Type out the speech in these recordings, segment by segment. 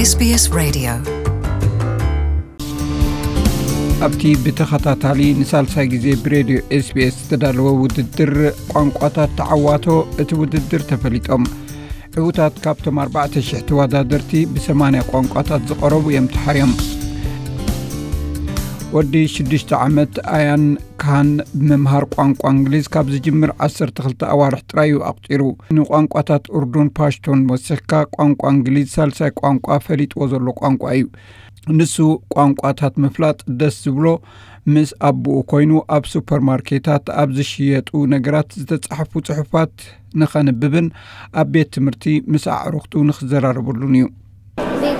SBS Radio. ኣብቲ ብተኸታታሊ ንሳልሳይ ግዜ ብሬድዮ ኤስቢኤስ ዝተዳለወ ውድድር ቋንቋታት ተዓዋቶ፣ እቲ ውድድር ተፈሊጦም። ዕዉታት ካብቶም ኣርባዕተ ሽሕ ተወዳደርቲ ብሰማንያ ቋንቋታት ዝቐረቡ እዮም ተሓርዮም። ወዲ ሽዱሽተ ዓመት ኣያን ካን ብምምሃር ቋንቋ እንግሊዝ ካብ ዝጅምር ዓሰርተ ክልተ ኣዋርሕ ጥራይ እዩ ኣቑጺሩ። ንቋንቋታት ኡርዱን ፓሽቶን ወሲኽካ ቋንቋ እንግሊዝ ሳልሳይ ቋንቋ ፈሊጥዎ ዘሎ ቋንቋ እዩ። ንሱ ቋንቋታት ምፍላጥ ደስ ዝብሎ፣ ምስ ኣቦኡ ኮይኑ ኣብ ሱፐርማርኬታት ኣብ ዝሽየጡ ነገራት ዝተጻሕፉ ጽሑፋት ንኸንብብን ኣብ ቤት ትምህርቲ ምስ ኣዕሩኽቱ ንኽዘራረበሉን እዩ። Be-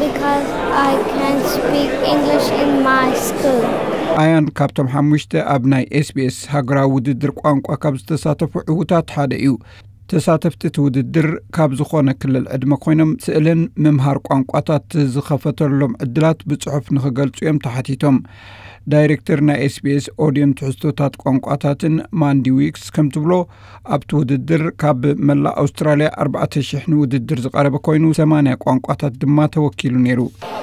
because I can speak English in my school. ኣያን ካብቶም ሓሙሽተ ኣብ ናይ ኤስቢኤስ ሃገራዊ ውድድር ቋንቋ ካብ ዝተሳተፉ ዕዉታት ሓደ እዩ። ተሳተፍቲ እቲ ውድድር ካብ ዝኾነ ክልል ዕድመ ኮይኖም ስእልን ምምሃር ቋንቋታት ዝኸፈተሎም ዕድላት ብጽሑፍ ንኽገልጹ እዮም ተሓቲቶም። ዳይሬክተር ናይ ኤስቢኤስ ኦድዮን ትሕዝቶታት ቋንቋታትን ማንዲ ዊክስ ከም ትብሎ፣ ኣብቲ ውድድር ካብ መላእ ኣውስትራልያ ኣርባዕተ ሽሕ ንውድድር ዝቐረበ ኮይኑ ሰማንያ ቋንቋታት ድማ ተወኪሉ ነይሩ።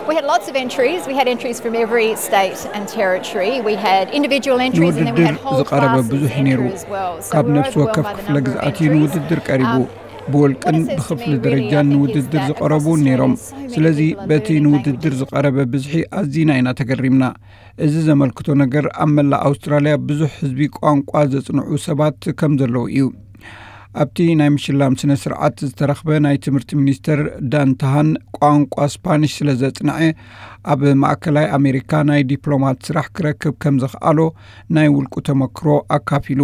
We had lots of entries. We had entries from every state and territory. We had individual entries and then we had ንውድድር whole ዝቐረበ classes ብዙሕ እዩ ነይሩ። entries as well. So ካብ we're ነፍሲ ወከፍ overwhelmed by the ክፍለ number of ግዝኣት እዩ entries. ንውድድር ቀሪቡ። Um, ብውልቅን what it says to ብክፍሊ me really, I ደረጃን think, is ንውድድር that ዝቐረቡ across ነይሮም። Australia, so many ስለዚ people are በቲ learning ንውድድር languages. ዝቐረበ ብዝሒ ኣዚና ኢና ተገሪምና። እዚ ዘመልክቶ ነገር ኣብ መላእ ኣውስትራልያ ብዙሕ ህዝቢ ቋንቋ ዘጽንዑ ሰባት ከም ዘለዉ እዩ። ኣብቲ ናይ ምሽላም ስነ ስርዓት ዝተረኽበ ናይ ትምህርቲ ሚኒስተር ዳን ታሃን፣ ቋንቋ ስፓኒሽ ስለ ዘጽንዐ ኣብ ማእከላይ ኣሜሪካ ናይ ዲፕሎማት ስራሕ ክረክብ ከም ዘኽኣሎ ናይ ውልቁ ተመክሮ ኣካፊሉ።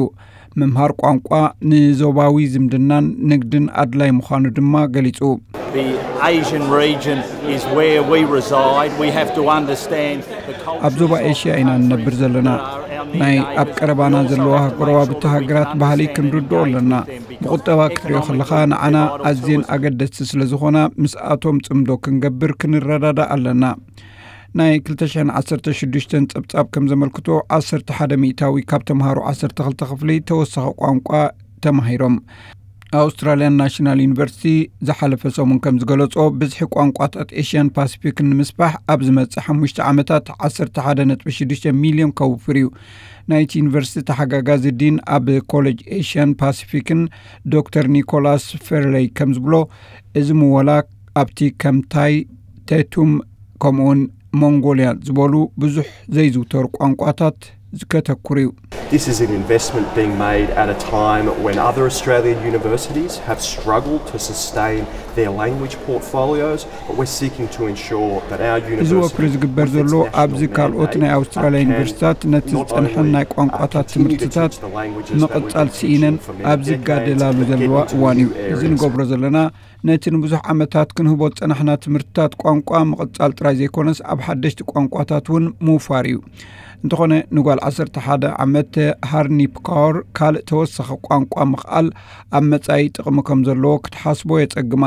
ምምሃር ቋንቋ ንዞባዊ ዝምድናን ንግድን ኣድላይ ምዃኑ ድማ ገሊጹ። The Asian region is where we reside. We have to understand the cultures ኣብ ዞባ ኤሽያ ኢና እንነብር ዘለና። ናይ ኣብ ቀረባና ዘለዋ ጎረባብቲ ሃገራት ባህሊ ክንርድኦ ኣለና። ብቁጠባ ክትሪኦ ከለኻ ንዓና ኣዝየን ኣገደስቲ ስለ ዝኾና ምስኣቶም ጽምዶ ክንገብር ክንረዳዳእ ኣለና። ናይ ክልተ ሽሕን ዓሰርተ ሽዱሽተን ጸብጻብ ከም ዘመልክቶ ዓሰርተ ሓደ ሚእታዊ ካብ ተምሃሮ ዓሰርተ ክልተ ክፍሊ ተወሳኺ ቋንቋ ተማሂሮም። ኣውስትራልያን ናሽናል ዩኒቨርሲቲ ዝሓለፈ ሰሙን ከም ዝገለጾ ብዝሒ ቋንቋታት ኤሽያን ፓሲፊክን ንምስፋሕ ኣብ ዝመጽእ ሓሙሽተ ዓመታት ዓሰርተ ሓደ ነጥቢ ሽዱሽተ ሚልዮን ከውፍር እዩ። ናይቲ ዩኒቨርሲቲ ተሓጋጋዚ ዲን ኣብ ኮሌጅ ኤሽያን ፓሲፊክን ዶክተር ኒኮላስ ፌርለይ ከም ዝብሎ፣ እዚ ምወላ ኣብቲ ከም ታይ፣ ቴቱም ከምኡውን ሞንጎልያ ዝበሉ ብዙሕ ዘይዝውተሩ ቋንቋታት ከተኩር እዩ። This is an investment being made at a time when other Australian universities have struggled to sustain their language portfolios, but we're seeking to ensure that our እዚ ወፍሪ ዝግበር ዘሎ ኣብዚ ካልኦት ናይ ኣውስትራልያ ዩኒቨርሲታት ነቲ ዝጸንሐን ናይ ቋንቋታት ትምህርትታት ምቕጻል ስኢነን ኣብ ዝጋደላሉ ዘለዋ እዋን እዩ። እዚ ንገብሮ ዘለና ነቲ ንብዙሕ ዓመታት ክንህቦ ዝጸናሕና ትምህርትታት ቋንቋ ምቕጻል ጥራይ ዘይኮነስ ኣብ ሓደሽቲ ቋንቋታት እውን ምውፋር እዩ። እንተኾነ ንጓል ዓሰርተ ሓደ ዓመት ሃርኒ ፕካወር ካልእ ተወሳኺ ቋንቋ ምኽኣል ኣብ መጻኢ ጥቕሚ ከም ዘለዎ ክትሓስቦ የጸግማ።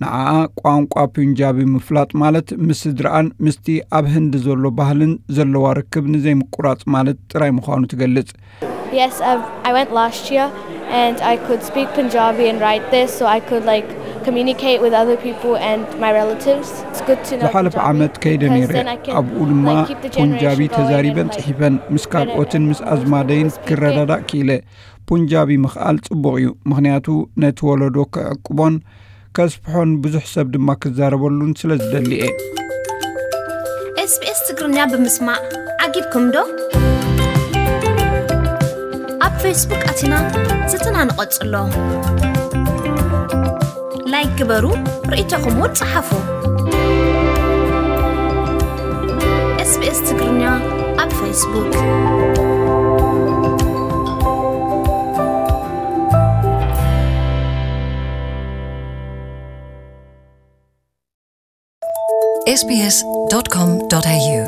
ንዓኣ ቋንቋ ፑንጃቢ ምፍላጥ ማለት ምስ ስድራኣን ምስቲ ኣብ ህንዲ ዘሎ ባህልን ዘለዋ ርክብ ንዘይምቁራጽ ማለት ጥራይ ምዃኑ ትገልጽ። Yes, I've, I went last year and I could speak Punjabi and write this, so I could like communicate with other people and my relatives. It's good to know ዝሓለፈ Punjabi ዓመት ከይደ because ነይረ። Then I can ኣብኡ ድማ like keep the ፑንጃቢ generation going ተዛሪበን and like ጽሒፈን ምስ ካልኦትን ምስ ኣዝማደይን ክረዳዳእ ክኢለ። ፑንጃቢ ምኽኣል ጽቡቕ እዩ፣ ምኽንያቱ ነቲ ወለዶ ክዕቅቦን ከስፍሖን ብዙሕ ሰብ ድማ ክዛረበሉን ስለ ዝደሊ እየ። ኤስቢኤስ ትግርኛ ብምስማዕ ዓጊብኩም ዶ? ኣብ ፌስቡክ ኣቲና ዝትናን ቀጽሎ። ላይክ ግበሩ፣ ርእይቶኹም እውን ጸሓፉ። ኤስቢኤስ ትግርኛ ኣብ ፌስቡክ። sbs.com.au